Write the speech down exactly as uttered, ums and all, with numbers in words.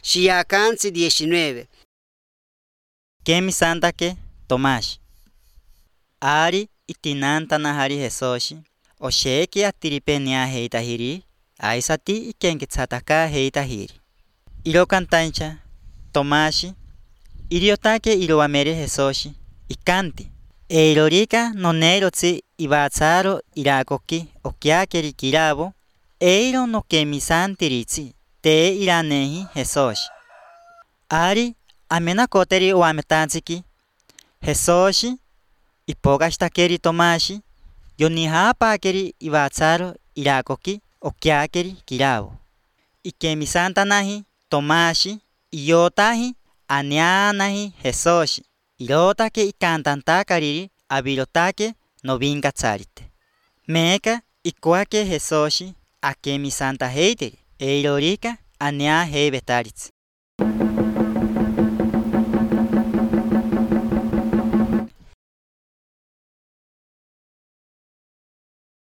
Shiakansi diecinueve. Kemi santake Tomás. Ari itinanta nahari Jesoshi. Osheki atiripenia heitahiri. Aisati ikenkitsataka heitahiri. Iro cantancha Tomashi. Iriotake iroamere Jesoshi. Ikanti. Eirorika nonerotsi ibatsaro irakoki okiakeri kirabo. Eiro no kemi santiritsi. Te iranehi Jesoshi. Ari amena koteri oametantsiki. Jesoshi ipogashtakeri Tomashi. Yonihapakeri ibatsaro irakoki okiakeri kirabo. Ikemi santanahi Tomashi. Iyotahi anianahi Jesoshi. Irotake ikantantakariri abirotake novinkatsarite. Meka ikuake Jesoshi akemi santa heiteri. Eirorika ania heibetaritsi.